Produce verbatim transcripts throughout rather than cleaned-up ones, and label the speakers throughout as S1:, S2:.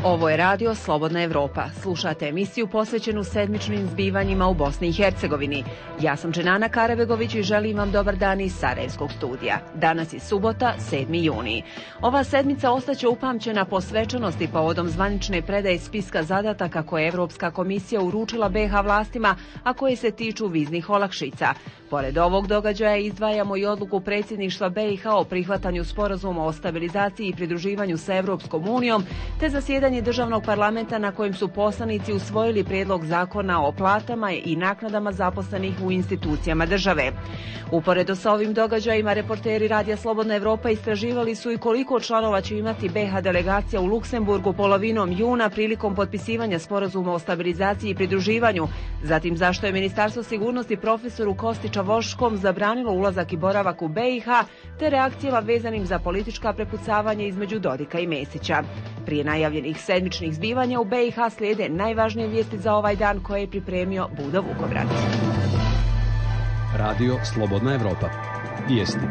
S1: Ovo je radio Slobodna Evropa. Slušate emisiju posvećenu sedmičnim zbivanjima u Bosni i Hercegovini. Ja sam Dženana Karabegović i želim vam dobar dan iz Sarajevskog studija. Danas je subota, sedmi juni. Ova sedmica ostaće upamćena po svečanosti povodom zvanične predaje spiska zadataka koje je Evropska komisija uručila be ha vlastima, a koje se tiču viznih olakšica. Pored ovog događaja izdvajamo i odluku predsjedništva be i ha o prihvatanju sporazuma o stabilizaciji i pridruživanju sa Evropskom unijom, te zasjedanje državnog parlamenta na kojem su poslanici usvojili prijedlog zakona o platama i naknadama zaposlenih u institucijama države. Uporedo sa ovim događajima, reporteri Radija Slobodna Evropa istraživali su i koliko članova će imati be ha delegacija u Luksemburgu polovinom juna prilikom potpisivanja sporazuma o stabilizaciji i pridruživanju, zatim zašto je Ministarstvo sigurnosti profesoru Kostića Voškom zabranilo ulazak i boravak u be i ha, te reakcijama vezanim za politička prepucavanja između Dodika i Mesića. Prije najavljenih sedmičnih zbivanja u be i ha slijede najvažnije vijesti za ovaj dan koje je pripremio Budo Vukobrad.
S2: Radio Slobodna Evropa. Vijesti.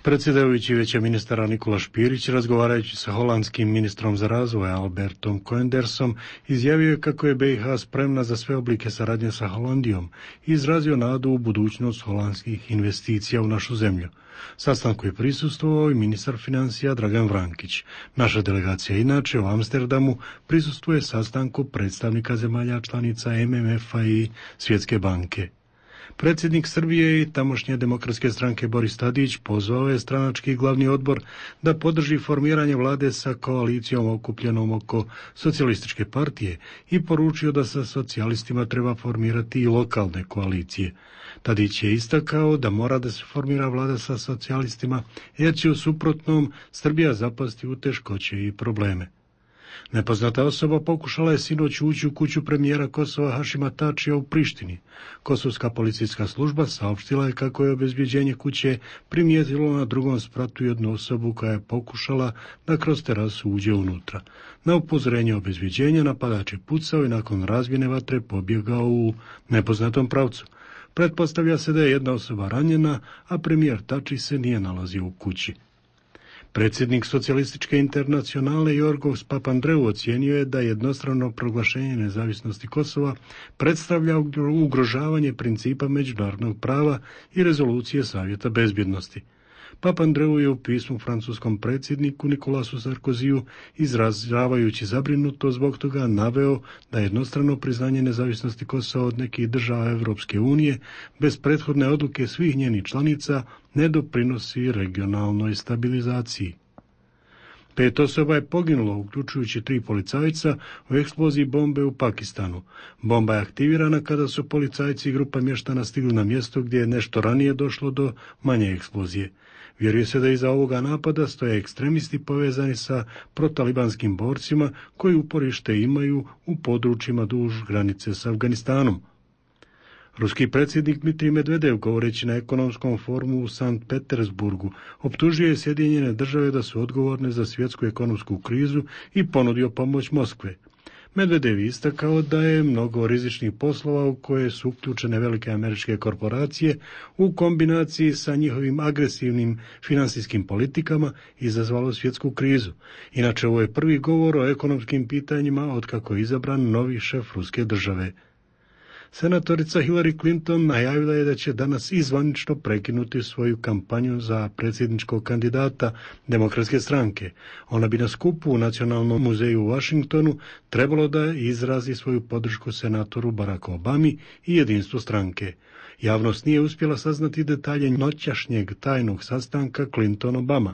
S3: Predsjedajući Vijeća ministara Nikola Špirić, razgovarajući sa holandskim ministrom za razvoj Albertom Koendersom, izjavio je kako je be i ha spremna za sve oblike saradnje sa Holandijom i izrazio nadu u budućnost holandskih investicija u našu zemlju. Sastanku je prisustvovao i ministar financija Dragan Vrankić. Naša delegacija inače u Amsterdamu prisustvuje sastanku predstavnika zemalja članica em em ef-a i Svjetske banke. Predsjednik Srbije i tamošnje demokratske stranke Boris Tadić pozvao je stranački glavni odbor da podrži formiranje vlade sa koalicijom okupljenom oko socijalističke partije i poručio da sa socijalistima treba formirati i lokalne koalicije. Tadić je istakao da mora da se formira vlada sa socijalistima jer će u suprotnom Srbija zapasti u teškoće i probleme. Nepoznata osoba pokušala je sinoć ući u kuću premijera Kosova Hašima Tačija u Prištini. Kosovska policijska služba saopštila je kako je obezbjeđenje kuće primijetilo na drugom spratu jednu osobu koja je pokušala da kroz terasu uđe unutra. Na upozorenje obezbjeđenja napadač je pucao i nakon razbijene vatre pobjegao u nepoznatom pravcu. Pretpostavlja se da je jedna osoba ranjena, a premijer Tači se nije nalazio u kući. Predsjednik socijalističke internacionale Jorgos Papandreou ocijenio je da jednostrano proglašenje nezavisnosti Kosova predstavlja ugrožavanje principa međunarodnog prava i rezolucije Savjeta bezbjednosti. Papandreou je u pismu francuskom predsjedniku Nikolasu Sarkoziju, izražavajući zabrinutost zbog toga, naveo da jednostrano priznanje nezavisnosti Kosova od nekih država Evropske unije bez prethodne odluke svih njenih članica ne doprinosi regionalnoj stabilizaciji. Pet osoba je poginulo, uključujući tri policajca, u eksploziji bombe u Pakistanu. Bomba je aktivirana kada su policajci i grupa mještana stigli na mjesto gdje je nešto ranije došlo do manje eksplozije. Vjeruje se da iza ovoga napada stoje ekstremisti povezani sa protalibanskim borcima koji uporište imaju u područjima duž granice s Afganistanom. Ruski predsjednik Dmitrij Medvedev, govoreći na ekonomskom forumu u Sankt Petersburgu, optužio je Sjedinjene države da su odgovorne za svjetsku ekonomsku krizu i ponudio pomoć Moskve. Medvedev je istakao da je mnogo rizičnih poslova u koje su uključene velike američke korporacije u kombinaciji sa njihovim agresivnim financijskim politikama izazvalo svjetsku krizu. Inače, ovo je prvi govor o ekonomskim pitanjima otkako je izabran novi šef ruske države. Senatorica Hillary Clinton najavila je da će danas izvanično prekinuti svoju kampanju za predsjedničkog kandidata Demokratske stranke. Ona bi na skupu u Nacionalnom muzeju u Washingtonu trebalo da izrazi svoju podršku senatoru Baracku Obami i jedinstvu stranke. Javnost nije uspjela saznati detalje noćašnjeg tajnog sastanka Clinton-Obama.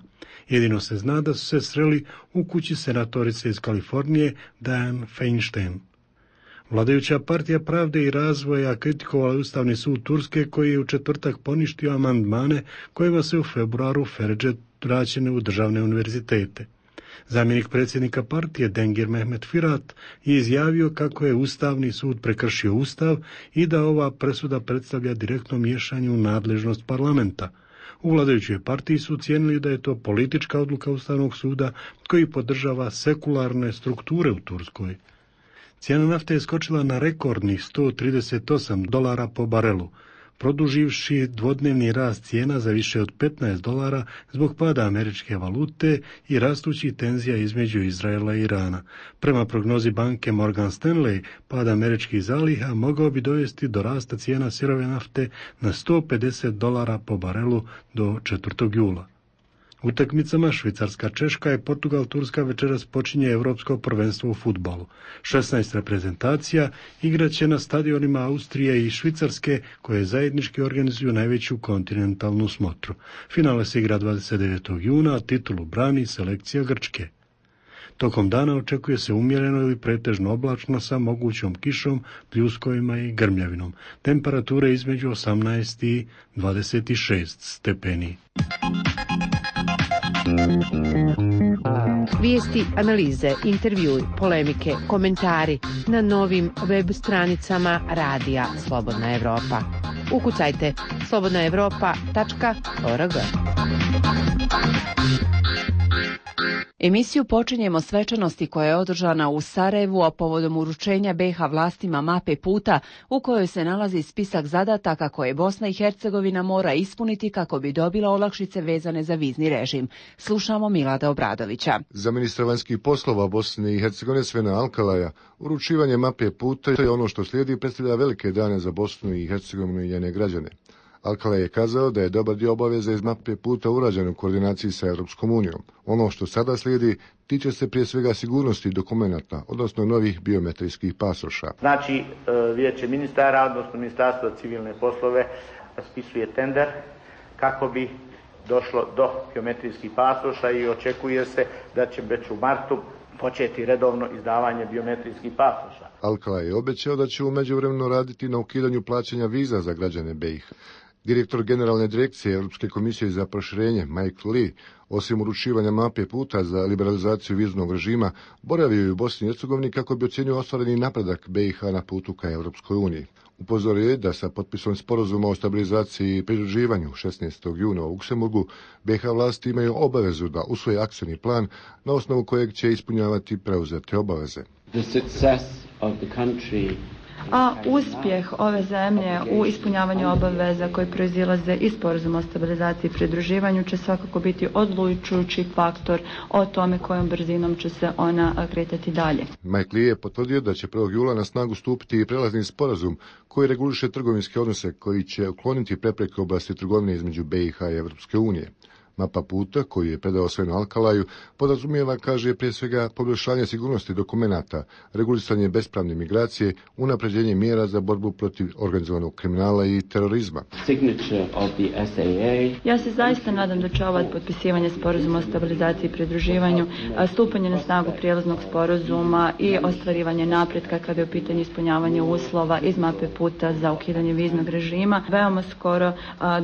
S3: Jedino se zna da su se sreli u kući senatorice iz Kalifornije Dianne Feinstein. Vladajuća partija Pravde i razvoja kritikovala Ustavni sud Turske koji je u četvrtak poništio amandmane kojima se u februaru Feredže vraćene u državne univerzitete. Zamjenik predsjednika partije Dengir Mehmet Firat je izjavio kako je Ustavni sud prekršio Ustav i da ova presuda predstavlja direktno miješanje u nadležnost parlamenta. U vladajućoj partiji su ocijenili da je to politička odluka Ustavnog suda koji podržava sekularne strukture u Turskoj. Cijena nafte je skočila na rekordnih sto trideset osam dolara po barelu. produživši dvodnevni rast cijena za više od petnaest dolara zbog pada američke valute i rastućih tenzija između Izraela i Irana. Prema prognozi banke Morgan Stanley, pad američkih zaliha mogao bi dovesti do rasta cijena sirove nafte na sto pedeset dolara po barelu do četvrtog jula. Utakmicama Švicarska-Češka i Portugal-Turska večeras počinje Europsko prvenstvo u fudbalu. šesnaest reprezentacija igraće na stadionima Austrije i Švicarske, koje zajednički organizuju najveću kontinentalnu smotru. Finale se igra dvadeset devetog juna, a titulu brani selekcija Grčke. Tokom dana očekuje se umjereno ili pretežno oblačno sa mogućom kišom, pljuskovima i grmljavinom. Temperature između osamnaest i dvadeset šest stepeni.
S4: Vijesti, analize, intervjui, polemike, komentari na novim web stranicama Radija Slobodna Evropa. Ukucajte slobodna evropa tačka org.
S1: Emisiju počinjemo svečanosti koja je održana u Sarajevu, a povodom uručenja be ha vlastima mape puta u kojoj se nalazi spisak zadataka koje Bosna i Hercegovina mora ispuniti kako bi dobila olakšice vezane za vizni režim. Slušamo Milada Obradovića.
S5: Za ministra vanjskih poslova Bosne i Hercegovine Svena Alkalaja uručivanje mape puta je ono što slijedi predstavlja velike dane za Bosnu i Hercegovinu i njene građane. Alkalaj je kazao da je dobar dio obaveza iz mape puta urađen u koordinaciji sa Europskom unijom. Ono što sada slijedi tiče se prije svega sigurnosti dokumenata, odnosno novih biometrijskih pasoša.
S6: Znači, Vijeće ministara, odnosno Ministarstvo civilne poslove, raspisuje tender kako bi došlo do biometrijskih pasoša i očekuje se da će već u martu početi redovno izdavanje biometrijskih pasoša.
S5: Alkalaj je obećao da će u međuvremenu raditi na ukidanju plaćanja viza za građane be i ha. Direktor Generalne direkcije Europske komisije za proširenje Mike Lee, osim uručivanja mape puta za liberalizaciju viznog režima, boravio je u Bosni i Hercegovini kako bi ocjenio ostvareni napredak be i ha na putu ka Europskoj uniji. Upozorio je da sa potpisom sporazuma o stabilizaciji i pridruživanju šesnaestog juna u Luksemburgu, be i ha vlasti imaju obavezu da usvoje akcioni plan na osnovu kojeg će ispunjavati preuzete obaveze.
S7: The success of the country
S8: A uspjeh ove zemlje u ispunjavanju obaveza koje proizilaze iz sporazuma o stabilizaciji i pridruživanju će svakako biti odlučujući faktor o tome kojom brzinom će se ona kretati dalje.
S5: Mike Lee je potvrdio da će prvog jula na snagu stupiti i prelazni sporazum koji reguliše trgovinske odnose koji će ukloniti prepreke u oblasti trgovine između be i ha i Europske unije. Mapa puta, koju je predao Svenu Alkalaju, podrazumijeva, kaže, prije svega poboljšanje sigurnosti dokumenata, regulisanje bespravne migracije, unapređenje mjera za borbu protiv organizovanog kriminala i terorizma.
S8: Ja se zaista nadam da će ovo potpisivanje sporazuma o stabilizaciji i pridruživanju, stupanje na snagu prijelaznog sporazuma i ostvarivanje napretka kada je u pitanju ispunjavanje uslova iz mape puta za ukidanje viznog režima, veoma skoro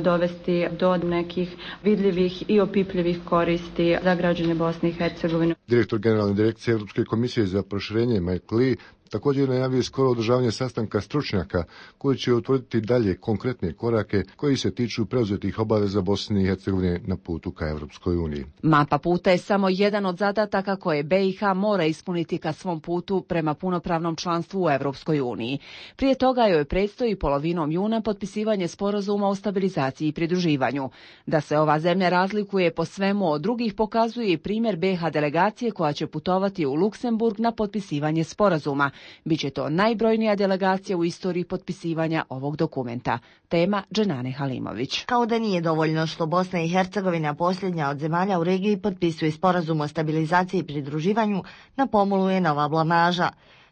S8: dovesti do nekih vidljivih i opipljivih koristi za građane Bosne i Hercegovine.
S5: Direktor Generalne direkcije Europske komisije za proširenje Mike Lee također najavio skoro održavanje sastanka stručnjaka koji će utvrditi dalje konkretne korake koji se tiču preuzetih obaveza Bosne i Hercegovine na putu ka Europskoj uniji.
S1: Mapa puta je samo jedan od zadataka koje be i ha mora ispuniti ka svom putu prema punopravnom članstvu u Europskoj uniji. Prije toga joj predstoji polovinom juna potpisivanje sporazuma o stabilizaciji i pridruživanju. Da se ova zemlja razlikuje po svemu od drugih pokazuje i primjer be i ha delegacije koja će putovati u Luksemburg na potpisivanje sporazuma. Biće to najbrojnija delegacija u istoriji potpisivanja ovog dokumenta. Tema Dženane Halimović.
S9: Kao da nije dovoljno što Bosna i Hercegovina, posljednja od zemalja u regiji, potpisuje sporazum o stabilizaciji i pridruživanju, na pomolu je nova blamaža.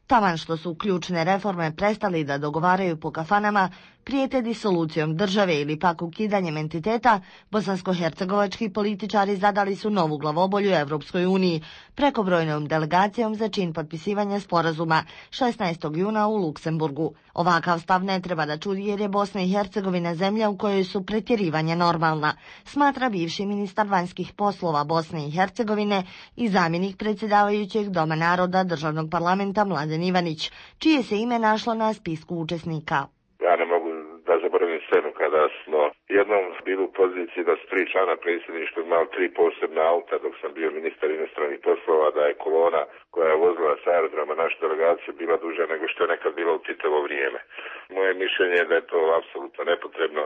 S9: Taman što su ključne reforme prestali da dogovaraju po kafanama, prijete disolucijom države ili pak ukidanjem entiteta, bosansko-hercegovački političari zadali su novu glavobolju Evropskoj uniji prekobrojnom delegacijom za čin potpisivanja sporazuma šesnaestog juna u Luksemburgu. Ovakav stav ne treba da čudi jer je Bosna i Hercegovina zemlja u kojoj su pretjerivanja normalna, smatra bivši ministar vanjskih poslova Bosne i Hercegovine i zamjenik predsjedavajućeg Doma naroda državnog parlamenta Mladen Ivanić, čije se ime našlo na spisku učesnika.
S10: Ja ne mogu da zaboravim scenu kada smo jednom bili u poziciji da su tri člana predsjedništva imali tri posebna auta dok sam bio ministar inostranih poslova, da je kolona koja je vozila sa aerodroma našu delegaciju bila duža nego što je nekad bilo u Titovo vrijeme. Moje mišljenje je da je to apsolutno nepotrebno.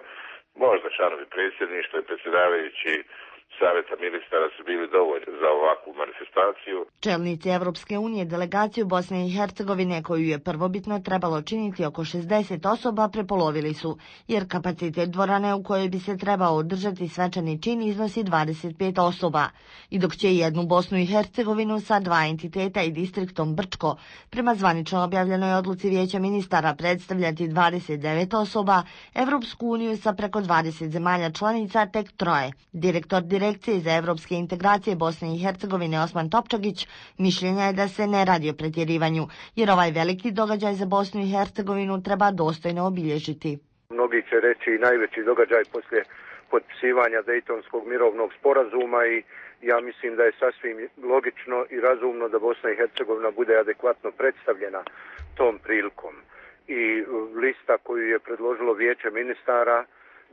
S10: Možda članovi predsjedništva i predsjedavajući Savjeta ministara su bili dovoljni za ovakvu manifestaciju.
S9: Čelnici Evropske unije delegaciju Bosne i Hercegovine, koju je prvobitno trebalo činiti oko šezdeset osoba, prepolovili su, jer kapacitet dvorane u kojoj bi se trebao održati svečani čin iznosi dvadeset pet osoba. I dok će jednu Bosnu i Hercegovinu sa dva entiteta i distriktom Brčko prema zvanično objavljenoj odluci Vijeća ministara predstavljati dvadeset devet osoba, Evropsku uniju sa preko dvadeset zemalja članica tek troje. Direktor Direkcije za evropske integracije Bosne i Hercegovine Osman Topčagić mišljenja je da se ne radi o pretjerivanju, jer ovaj veliki događaj za Bosnu i Hercegovinu treba dostojno obilježiti.
S11: Mnogi će reći i najveći događaj poslije potpisivanja Dejtonskog mirovnog sporazuma i ja mislim da je sasvim logično i razumno da Bosna i Hercegovina bude adekvatno predstavljena tom prilikom. I lista koju je predložilo Vijeće ministara,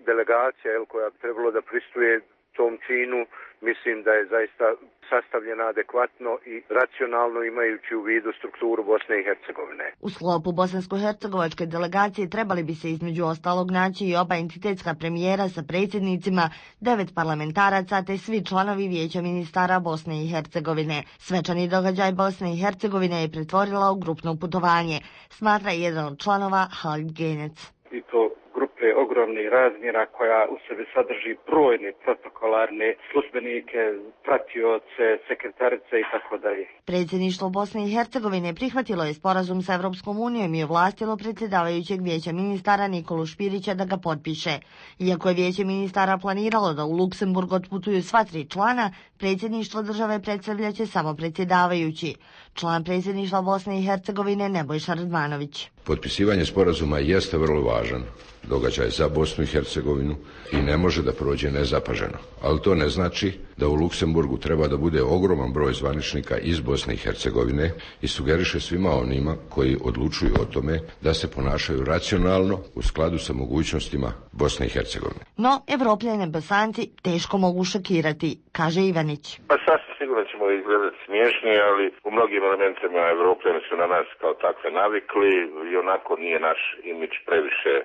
S11: delegacija jel, koja bi trebalo da pristuje tom činu, mislim da je zaista sastavljena adekvatno i racionalno imajući u vidu strukturu Bosne i Hercegovine.
S9: U sklopu bosansko-hercegovačke delegacije trebali bi se između ostalog naći i oba entitetska premijera sa predsjednicima, devet parlamentaraca te svi članovi Vijeća ministara Bosne i Hercegovine. Svečani događaj Bosne i Hercegovine je pretvorila u grupno putovanje, smatra jedan od članova Halid Genec.
S12: I to grupe ogromnih razmjera koja u sebi sadrži brojne protokolarne službenike, pratioce, sekretarice i tako dalje.
S9: Predsjedništvo Bosne i Hercegovine prihvatilo je sporazum sa Evropskom unijom i ovlastilo predsjedavajućeg Vijeća ministara Nikolu Špirića da ga potpiše. Iako je Vijeće ministara planiralo da u Luksemburg otputuju sva tri člana, predsjedništvo države predstavljaće samo predsjedavajući. Član predsjedništva Bosne i Hercegovine Nebojša Radmanović.
S13: Potpisivanje sporazuma jeste vrlo važan događaj za Bosnu i Hercegovinu i ne može da prođe nezapaženo. Ali to ne znači da u Luksemburgu treba da bude ogroman broj zvaničnika iz Bosne i Hercegovine i sugeriše svima onima koji odlučuju o tome da se ponašaju racionalno u skladu sa mogućnostima Bosne i Hercegovine.
S9: No, Evropljane Bosanci teško mogu šokirati, kaže Ivanić.
S10: Pa sasvim sigurno ćemo izgledati smiješni, ali u mnogim elementima Evropljani su na nas kao takve navikli i onako nije naš imidž previše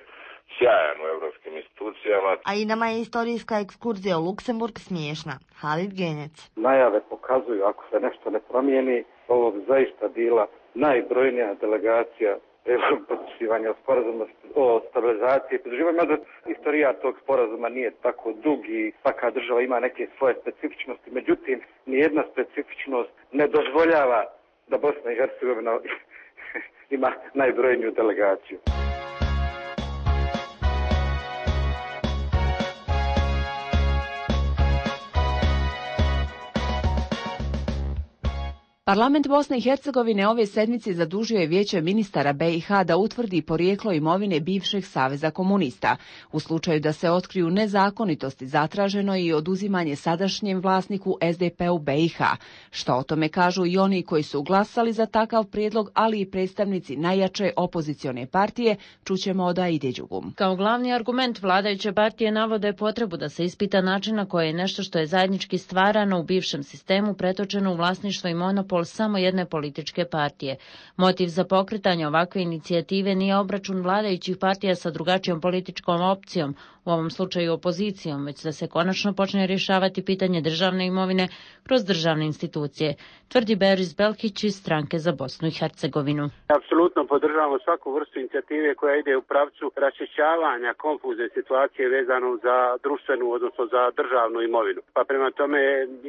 S10: sjajan u evropskim institucijama.
S9: A i nama je istorijska ekskurzija u Luksemburg smiješna. Halid Genec.
S12: Najave pokazuju, ako se nešto ne promijeni, ovo bi zaista bila najbrojnija delegacija potpisivanja sporazuma o stabilizaciji i pridruživanju. Mada istorija tog sporazuma nije tako dug i svaka država ima neke svoje specifičnosti. Međutim, nijedna specifičnost ne dozvoljava da Bosna i Hercegovina ima najbrojniju delegaciju.
S1: Parlament Bosne i Hercegovine ove sedmice zadužio je Vijeće ministara B i H da utvrdi porijeklo imovine bivšeg Saveza komunista. U slučaju da se otkriju nezakonitosti, zatraženo je i oduzimanje sadašnjem vlasniku S D P-u B i H. Što o tome kažu i oni koji su glasali za takav prijedlog, ali i predstavnici najjače opozicione partije, čućemo od Aide Đugum.
S14: Kao glavni argument vladajuće partije navode potrebu da se ispita način na koji je nešto što je zajednički stvarano u bivšem sistemu pretočeno u vlasništvo i monopol samo jedne političke partije. Motiv za pokretanje ovakve inicijative nije obračun vladajućih partija sa drugačijom političkom opcijom, u ovom slučaju opozicijom, već da se konačno počne rješavati pitanje državne imovine kroz državne institucije, tvrdi Beris Belkić iz Stranke za Bosnu i Hercegovinu.
S15: Apsolutno podržavamo svaku vrstu inicijative koja ide u pravcu raščišćavanja konfuzne situacije vezano za društvenu, odnosno za državnu imovinu. Pa prema tome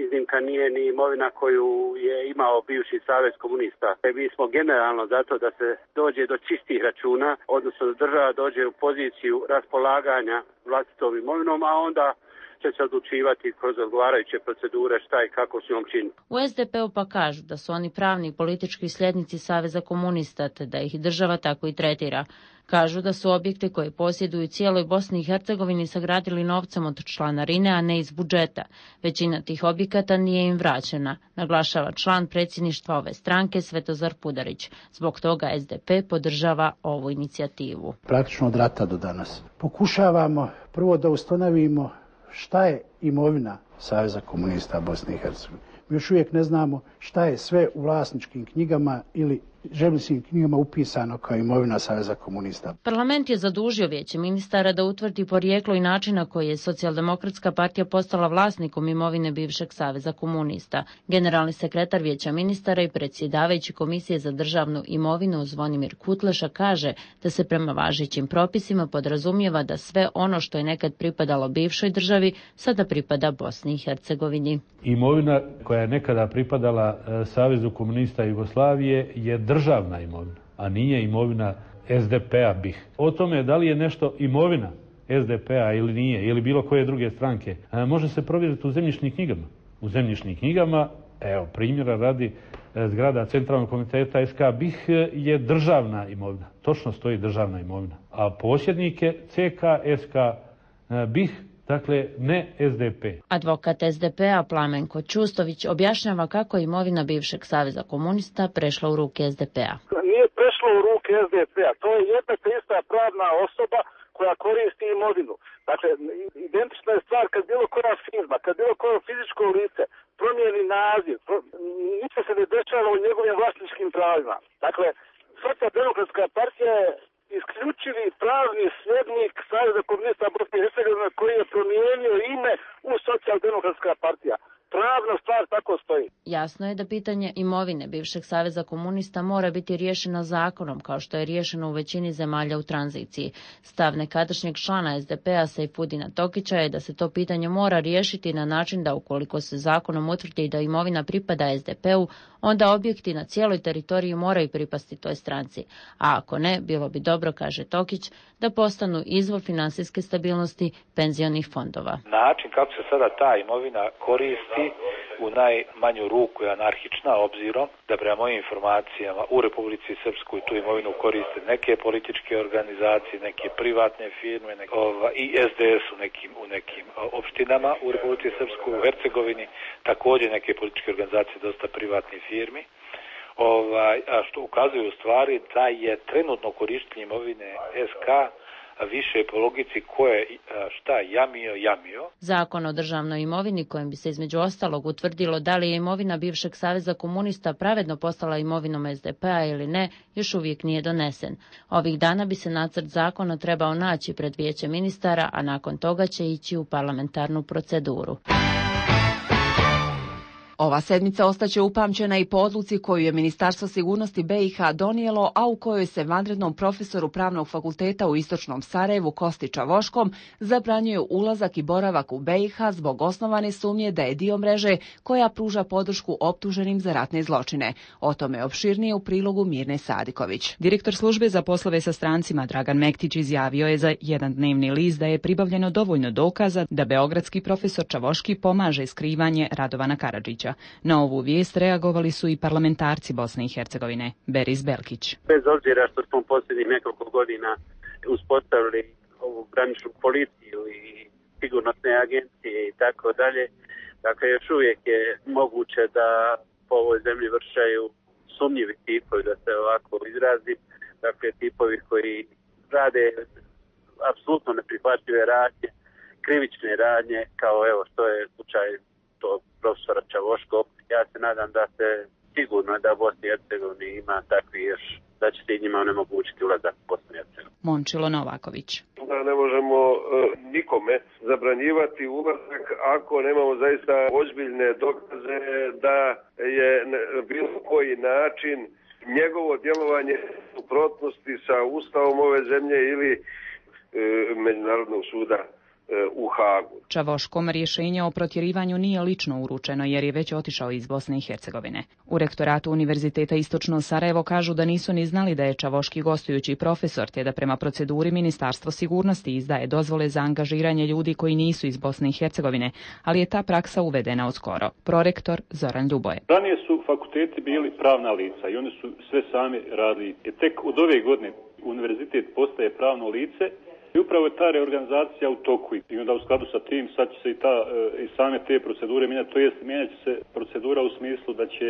S15: iznimka nije ni imovina koju je imao bivši Savez komunista. Mi smo generalno zato da se dođe do čistih računa, odnosno da država dođe u poziciju raspolaganja vlastitom imovinom, a onda će se odlučivati kroz odgovarajuće procedure šta i kako s njom čini.
S14: U S D P-u pa kažu da su oni pravni i politički sljednici Saveza komunista, te da ih država tako i tretira. Kažu da su objekte koje posjeduju cijeloj Bosni i Hercegovini sagradili novcem od članarine, a ne iz budžeta. Većina tih objekata nije im vraćena, naglašava član predsjedništva ove stranke Svetozar Pudarić. Zbog toga S D P podržava ovu inicijativu.
S16: Praktično od rata do danas. Pokušavamo prvo da ustanovimo šta je imovina Saveza komunista Bosne i Hercegovine. Mi još uvijek ne znamo šta je sve u vlasničkim knjigama ili zemljišnim knjigama upisano kao imovina Saveza komunista.
S14: Parlament je zadužio Vijeće ministara da utvrdi porijeklo i način na koji je Socijaldemokratska partija postala vlasnikom imovine bivšeg Saveza komunista. Generalni sekretar Vijeća ministara i predsjedavajući Komisije za državnu imovinu Zvonimir Kutleša kaže da se prema važećim propisima podrazumijeva da sve ono što je nekad pripadalo bivšoj državi sada pripada Bosni i Hercegovini.
S17: Imovina koja je nekada pripadala Savezu komunista Jugoslavije je državna imovina, a nije imovina es de pe-a B i ha. O tome da li je nešto imovina es de pe-a ili nije, ili bilo koje druge stranke, može se provjeriti u zemljišnim knjigama. U zemljišnim knjigama, evo, primjera radi, zgrada Centralnog komiteta es ka be i ha je državna imovina. Točno stoji državna imovina. A posjednik je ce ka es ka be i ha, dakle ne es de pe.
S14: Advokat es de pe-a Plamenko Čustović objašnjava kako je imovina bivšeg Saveza komunista prešla u ruke es de pe-a.
S18: Nije prešlo u ruke es de pe-a, to je jedna te ista pravna osoba koja koristi imovinu. Dakle, identična je stvar kad bilo koja firma, kad bilo koje fizičko lice promijeni naziv, pro... ništa se ne dešava u njegovim vlasničkim pravima. Dakle, Socijaldemokratska partija je isključivi pravni sljednik Saveza komunista Bosne i Hercegovine koji je promijenio ime u Socijaldemokratska partija. Pravna stvar tako stoji.
S14: Jasno je da pitanje imovine bivšeg Saveza komunista mora biti riješeno zakonom, kao što je riješeno u većini zemalja u tranziciji. Stav nekadašnjeg člana es de pe-a Sejfudina Tokića je da se to pitanje mora riješiti na način da ukoliko se zakonom utvrdi da imovina pripada es de pe-u, onda objekti na cijeloj teritoriji moraju pripasti toj stranci. A ako ne, bilo bi dobro, kaže Tokić, da postanu izvor finansijske stabilnosti penzionih fondova.
S19: Način kako se sada ta imovina koristi u najmanju ruku je anarhična, obzirom da prema mojim informacijama u Republici Srpskoj tu imovinu koriste neke političke organizacije, neke privatne firme neke, ova, i es de es u nekim, u nekim opštinama u Republici Srpskoj, u Hercegovini, također neke političke organizacije, dosta privatnih firmi. Ovaj, a što ukazuje u stvari da je trenutno korištenje imovine es ka više po logici ko je šta jamio, jamio.
S14: Zakon o državnoj imovini kojim bi se između ostalog utvrdilo da li je imovina bivšeg Saveza komunista pravedno postala imovinom es de pe-a ili ne, još uvijek nije donesen. Ovih dana bi se nacrt zakona trebao naći pred Vijeće ministara, a nakon toga će ići u parlamentarnu proceduru.
S1: Ova sedmica ostaće upamćena i po odluci koju je Ministarstvo sigurnosti be i ha donijelo, a u kojoj se vanrednom profesoru Pravnog fakulteta u Istočnom Sarajevu Kosti Čavoškom zabranjuje ulazak i boravak u be i ha zbog osnovane sumnje da je dio mreže koja pruža podršku optuženim za ratne zločine. O tome opširnije u prilogu Mirne Sadiković.
S20: Direktor službe za poslove sa strancima Dragan Mektić izjavio je za jedan dnevni list da je pribavljeno dovoljno dokaza da beogradski profesor Čavoški pomaže skrivanje Radovana Karadžića. Na ovu vijest reagovali su i parlamentarci Bosne i Hercegovine. Beris Belkić.
S15: Bez obzira što smo posljednjih nekoliko godina uspostavili ovu graničnu policiju i sigurnosne agencije i tako dalje, dakle još uvijek je moguće da po ovoj zemlji vršaju sumnjivi tipovi, da se ovako izrazim, dakle tipovi koji rade apsolutno neprihvatljive radnje, krivične radnje, kao evo što je slučaj tog profesora Čavoškog. Ja se nadam da se sigurno da u Bosni i Hercegovini ima takvi još, da će se njima onemogućiti ulazak u Bosnu i Hercegovinu.
S20: Mončilo Novaković.
S10: Da ne možemo uh, nikome zabranjivati ulazak ako nemamo zaista ozbiljne dokaze da je na bilo koji način njegovo djelovanje u suprotnosti sa Ustavom ove zemlje ili uh, Međunarodnog suda u Hagu.
S20: Čavoškom rješenje o protjerivanju nije lično uručeno jer je već otišao iz Bosne i Hercegovine. U rektoratu Univerziteta Istočno Sarajevo kažu da nisu ni znali da je Čavoški gostujući profesor, te da prema proceduri Ministarstvo sigurnosti izdaje dozvole za angažiranje ljudi koji nisu iz Bosne i Hercegovine, ali je ta praksa uvedena odskoro. Prorektor Zoran Ljuboje.
S21: Ranije su fakulteti bili pravna lica i oni su sve sami radili. I tek od ove godine univerzitet postaje pravno lice I upravo je ta reorganizacija u toku i onda u skladu sa tim sad će se i, ta, i same te procedure mijenjati, to jest mijenjat će se procedura u smislu da će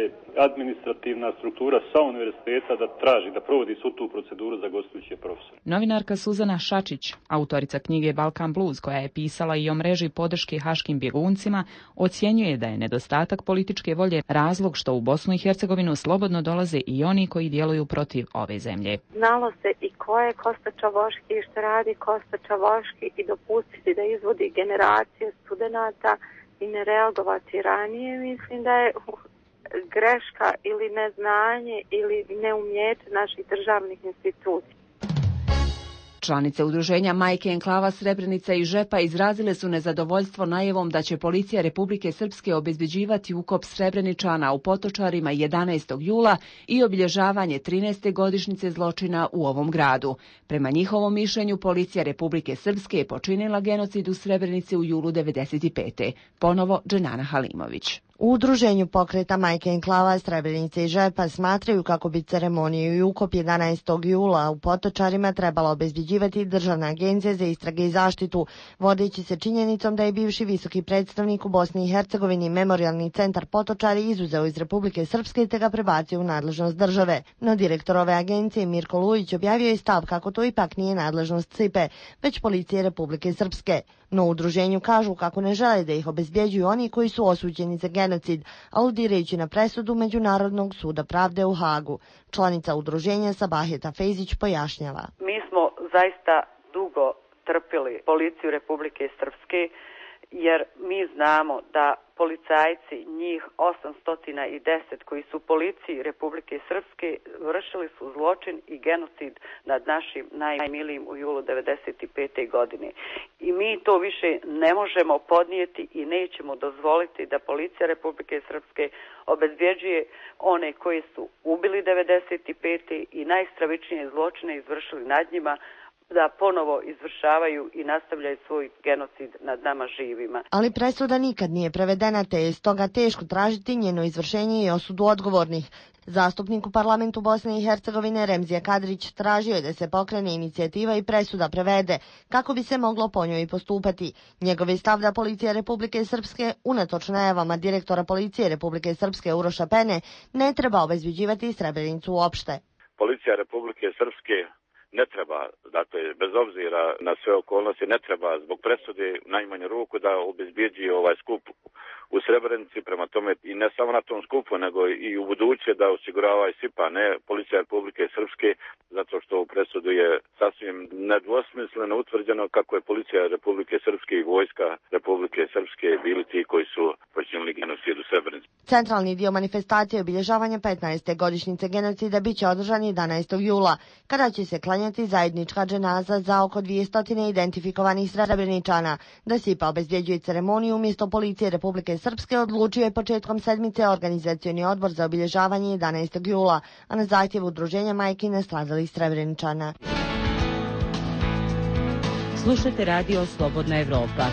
S21: administrativna struktura sa univerziteta da traži, da provodi svu tu proceduru za gostujuće profesore.
S20: Novinarka Suzana Šačić, autorica knjige Balkan Blues, koja je pisala i o mreži podrške haškim bjeguncima, ocjenjuje da je nedostatak političke volje razlog što u Bosnu i Hercegovinu slobodno dolaze i oni koji djeluju protiv ove zemlje.
S2: Znalo se i ko je Kosta Čavoški i što radi Kosta Čavoški i dopustiti da izvodi generacije studenata i ne reagovati ranije, mislim da je greška ili neznanje ili neumjeće naših državnih institucija.
S1: Članice udruženja Majke enklava Srebrenica i Žepa izrazile su nezadovoljstvo najavom da će policija Republike Srpske obezbeđivati ukop Srebreničana u Potočarima jedanaestog jula i obilježavanje trinaeste godišnjice zločina u ovom gradu. Prema njihovom mišljenju, policija Republike Srpske je počinila genocid u Srebrenici u julu devedeset pete. Ponovo Dženana Halimović.
S9: U udruženju pokreta Majke enklava Srebrenice i Žepa smatraju kako bi ceremoniju i ukop jedanaestog jula u Potočarima trebala obezbeđivati Državna agencija za istrage i zaštitu, vodeći se činjenicom da je bivši visoki predstavnik u Bosni i Hercegovini Memorijalni centar Potočari izuzeo iz Republike Srpske te ga prebacio u nadležnost države. No direktor ove agencije Mirko Lujić objavio je stav kako to ipak nije nadležnost C I P E, već policije Republike Srpske. No u udruženju kažu kako ne žele da ih obezbjeđuju oni koji su osuđeni za genocid, aludirajući na presudu Međunarodnog suda pravde u Hagu. Članica udruženja Sabaheta Fejzić pojašnjava.
S22: Mi smo zaista dugo trpili policiju Republike Srpske, jer mi znamo da policajci, njih osamsto deset koji su policiji Republike Srpske, vršili su zločin i genocid nad našim najmilijim u julu devedeset pete. godine. I mi to više ne možemo podnijeti i nećemo dozvoliti da policija Republike Srpske obezbjeđuje one koji su ubili devedeset pete. i najstravičnije zločine izvršili nad njima, da ponovo izvršavaju i nastavljaju svoj genocid nad nama živima.
S9: Ali presuda nikad nije prevedena, te je stoga teško tražiti njeno izvršenje i osudu odgovornih. Zastupnik u parlamentu Bosne i Hercegovine Remzija Kadrić tražio je da se pokrene inicijativa i presuda prevede, kako bi se moglo po njoj postupati. Njegov je stav da policija Republike Srpske, unatoč najavama direktora policije Republike Srpske Uroša Pene, ne treba obezbeđivati Srebrenicu uopšte.
S23: Policija Republike Srpske ne treba, dakle, bez obzira na sve okolnosti, ne treba zbog presude najmanju ruku da obezbjeđuje ovaj skup u Srebrenici, prema tome i ne samo na tom skupu, nego i u buduće da osigurava i S I P A, ne policija Republike Srpske, zato što u presudu je sasvim nedvosmisleno utvrđeno kako je policija Republike Srpske i vojska Republike Srpske bili ti koji su počinili genocid u Srebrenici.
S9: Centralni dio manifestacije obilježavanja petnaeste godišnjice genocida biće održan jedanaestog jula, kada će se klanjati zajednička dženaza za oko dvjesto identifikovanih Srebreničana. Da S I P A obezbjeđuje ceremoniju umjesto policije Republike Srpske odlučio je početkom sedmice organizacioni odbor za obilježavanje jedanaestog jula, a na zahtjev udruženja majki nastradalih Srebreničana.
S4: Slušajte radio Slobodna Evropa.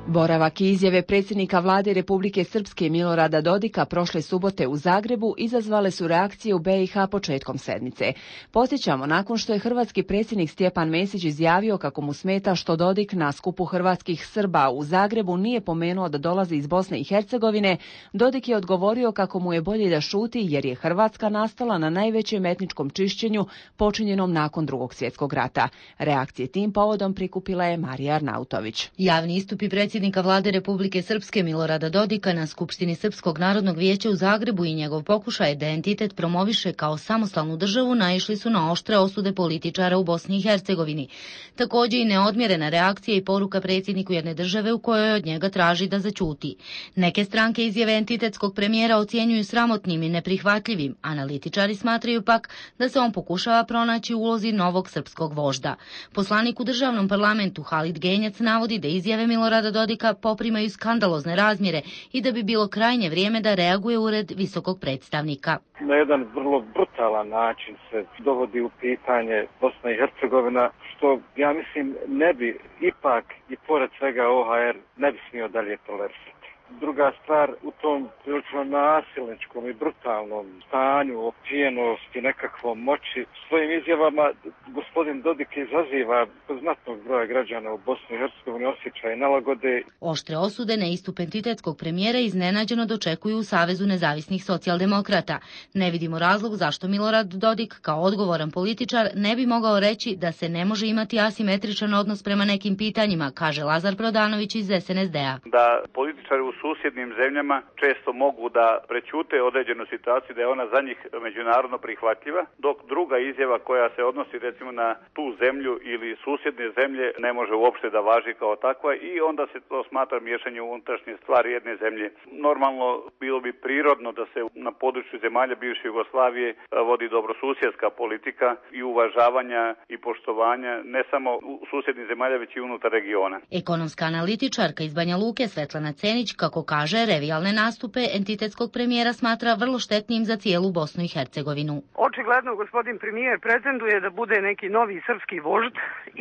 S1: Boravak i izjave predsjednika vlade Republike Srpske Milorada Dodika prošle subote u Zagrebu izazvale su reakcije u B i H početkom sedmice. Podsjećamo, nakon što je hrvatski predsjednik Stjepan Mesić izjavio kako mu smeta što Dodik na skupu hrvatskih Srba u Zagrebu nije pomenuo da dolazi iz Bosne i Hercegovine, Dodik je odgovorio kako mu je bolje da šuti jer je Hrvatska nastala na najvećem etničkom čišćenju počinjenom nakon Drugog svjetskog rata. Reakcije tim povodom prikupila je Marija Arnautović.
S24: Javni istupi predsjednika vlade Republike Srpske Milorada Dodika na Skupštini Srpskog narodnog vijeća u Zagrebu i njegov pokušaj da entitet promoviše kao samostalnu državu naišli su na oštre osude političara u Bosni i Hercegovini. Također i neodmjerena reakcija i poruka predsjedniku jedne države u kojoj od njega traži da zaćuti. Neke stranke izjave entitetskog premijera ocjenjuju sramotnim i neprihvatljivim. Analitičari smatraju pak da se on pokušava pronaći u ulozi novog srpskog vožda. Poslanik u državnom parlamentu Halid Genjac navodi da izjave Milorada Dodika poprimaju skandalozne razmjere i da bi bilo krajnje vrijeme da reaguje ured visokog predstavnika.
S12: Na jedan vrlo brutalan način se dovodi u pitanje Bosna i Hercegovina, što ja mislim ne bi ipak i pored svega O H R ne bi smio dalje tolerisati. Druga stvar, u tom prilično nasilničkom i brutalnom stanju, opijenosti, nekakvom moći, svojim izjavama gospodin Dodik izaziva kod znatnog broja građana u Bosni i Hercegovini osjećaj nelagode.
S24: Oštre osude na istup entitetskog premijera iznenađeno dočekuju u Savezu nezavisnih socijaldemokrata. Ne vidimo razlog zašto Milorad Dodik, kao odgovoran političar, ne bi mogao reći da se ne može imati asimetričan odnos prema nekim pitanjima, kaže Lazar Prodanović iz es en es de a.
S3: Da političari u susjednim zemljama često mogu da prećute određenu situaciju, da je ona za njih međunarodno prihvatljiva, dok druga izjava koja se odnosi recimo na tu zemlju ili susjedne zemlje ne može uopšte da važi kao takva i onda se to smatra miješanje u unutrašnje stvari jedne zemlje. Normalno bilo bi prirodno da se na području zemalja bivše Jugoslavije vodi dobrosusjedska politika i uvažavanja i poštovanja ne samo u susjednih zemalja već i unutar regiona.
S24: Ekonomska analitičarka iz Banja Luke Svetlana Cenić, kako kaže, revijalne nastupe entitetskog premijera smatra vrlo štetnim za cijelu Bosnu i Hercegovinu.
S6: Očigledno gospodin premijer pretenduje da bude neki novi srpski vožd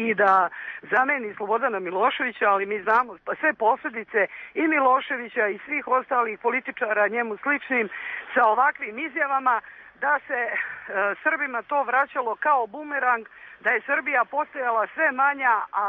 S6: i da zameni Slobodana Miloševića, ali mi znamo sve posljedice i Miloševića i svih ostalih političara njemu sličnim sa ovakvim izjavama, da se e, Srbima to vraćalo kao bumerang, da je Srbija postajala sve manja, a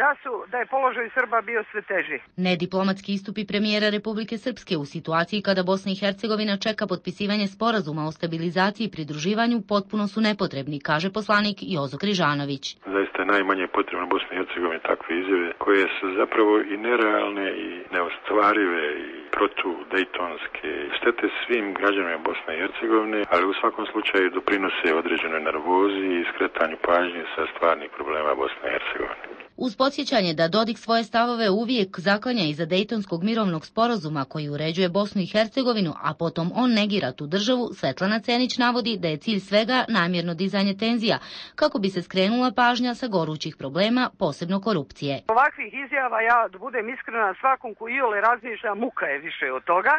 S6: da su da je položaj Srba bio sve teži.
S24: Nediplomatski istupi premijera Republike Srpske u situaciji kada Bosna i Hercegovina čeka potpisivanje sporazuma o stabilizaciji i pridruživanju potpuno su nepotrebni, kaže poslanik Jozo Križanović.
S7: Zaista je najmanje potrebno Bosni i Hercegovini takve izjave koje su zapravo i nerealne i neostvarive i protu-dejtonske. Štete svim građanima Bosne i Hercegovine, ali u svakom slučaju doprinose određenoj nervozi i skretanju pažnje sa stvarnih problema Bosne i Hercegovine.
S24: Uz podsjećanje da Dodik svoje stavove uvijek zaklanja iza Dejtonskog mirovnog sporazuma koji uređuje Bosnu i Hercegovinu, a potom on negira tu državu, Svetlana Cenić navodi da je cilj svega namjerno dizanje tenzija, kako bi se skrenula pažnja sa gorućih problema, posebno korupcije.
S6: Ovakvih izjava, ja da budem iskrena, svakom ko iole razmišlja, muka je više od toga.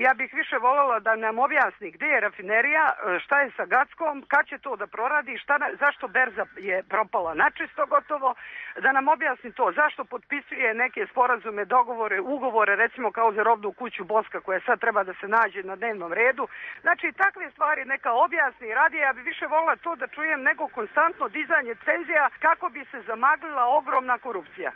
S6: Ja bih više voljela da nam objasni gdje je rafinerija, šta je sa Gackom, kad će to da proradi, šta, zašto berza je propala načisto gotovo, da nam objasni to, zašto potpisuje neke sporazume, dogovore, ugovore, recimo kao za robnu kuću Boska koja sad treba da se nađe na dnevnom redu. Znači takve stvari neka objasni i radi, ja bih više voljela to da čujem nego konstantno dizanje tenzija kako bi se zamaglila ogromna korupcija.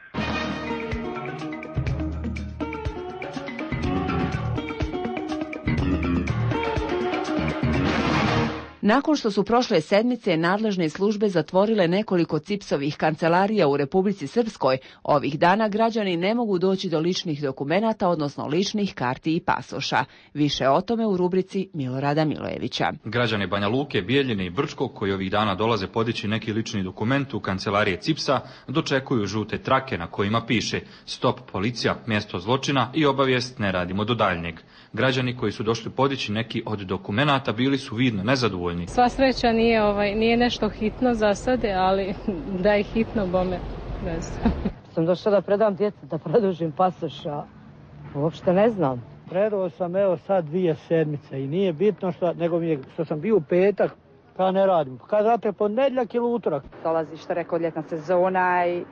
S1: Nakon što su prošle sedmice nadležne službe zatvorile nekoliko cipsovih kancelarija u Republici Srpskoj, ovih dana građani ne mogu doći do ličnih dokumenata, odnosno ličnih karti i pasoša. Više o tome u rubrici Milorada Milojevića.
S8: Građani Banja Luke, Bijeljine i Brčkog, koji ovih dana dolaze podići neki lični dokument u kancelarije Cipsa, dočekuju žute trake na kojima piše stop policija, mjesto zločina i obavijest ne radimo do daljnjeg. Građani koji su došli podići neki od dokumenata bili su vidno nezadovoljni.
S25: Sva sreća nije, ovaj, nije nešto hitno za sade, ali da je hitno, bome, ne znam.
S26: Sam došla da predam djecu, da produžim pasoš, a uopšte ne znam.
S27: Predao sam evo sad dvije sedmice i nije bitno što, nego mi je, što sam bio u petak, pa ne radim. Kad znate, ponedjeljak ili utorak.
S28: Dolazi što rekao ljetna sezona i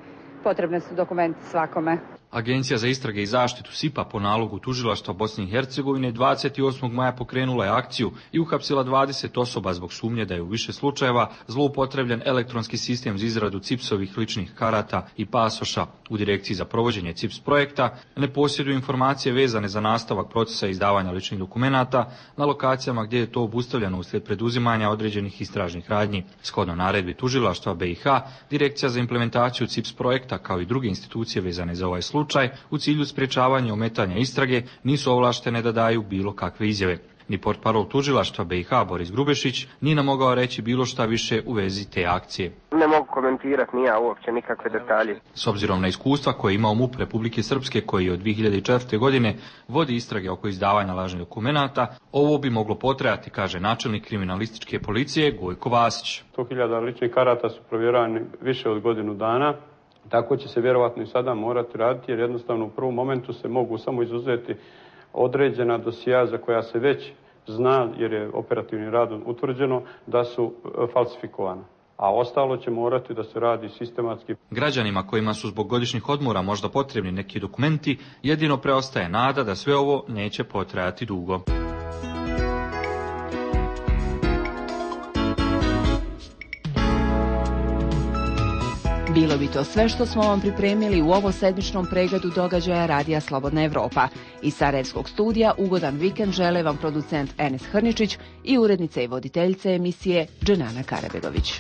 S28: potrebne su dokumenti svakome.
S8: Agencija za istrage i zaštitu S I P-a po nalogu tužilaštva Bosne i Hercegovine dvadeset osmog maja pokrenula je akciju i uhapsila dvadeset osoba zbog sumnje da je u više slučajeva zloupotrebljen elektronski sistem za izradu cipsovih ličnih karata i pasoša. U Direkciji za provođenje cips projekta ne posjeduju informacije vezane za nastavak procesa izdavanja ličnih dokumenata na lokacijama gdje je to obustavljeno uslijed preduzimanja određenih istražnih radnji. Shodno naredbi tužilaštva B i H, Direkcija za implementaciju cips projekta kao i druge institucije vezane za ovaj slučaj slučaj u cilju sprječavanja ometanja istrage nisu ovlaštene da daju bilo kakve izjave. Ni portparol tužilaštva B i H Boris Grubešić nije nam mogao reći bilo šta više u vezi te akcije.
S29: Ne mogu komentirati ni ja uopće nikakve detalje.
S8: S obzirom na iskustva koje ima MUP Republike Srpske koji od dvije hiljade četvrte. godine vodi istrage oko izdavanja lažnih dokumenata, ovo bi moglo potrajati, kaže načelnik kriminalističke policije Gojko Vasić.
S30: sto hiljada ličnih karata su provjeravani više od godinu dana. Tako će se vjerovatno i sada morati raditi jer jednostavno u prvom momentu se mogu samo izuzeti određena dosija za koja se već zna jer je operativnim radom utvrđeno da su falsifikovana. a ostalo će morati da se radi sistematski.
S8: Građanima kojima su zbog godišnjih odmora možda potrebni neki dokumenti, jedino preostaje nada da sve ovo neće potrajati dugo.
S1: Bilo bi to sve što smo vam pripremili u ovo sedmičnom pregledu događaja Radija Slobodna Evropa. Iz Sarajevskog studija ugodan vikend žele vam producent Enes Hrničić i urednica i voditeljica emisije Dženana Karabegović.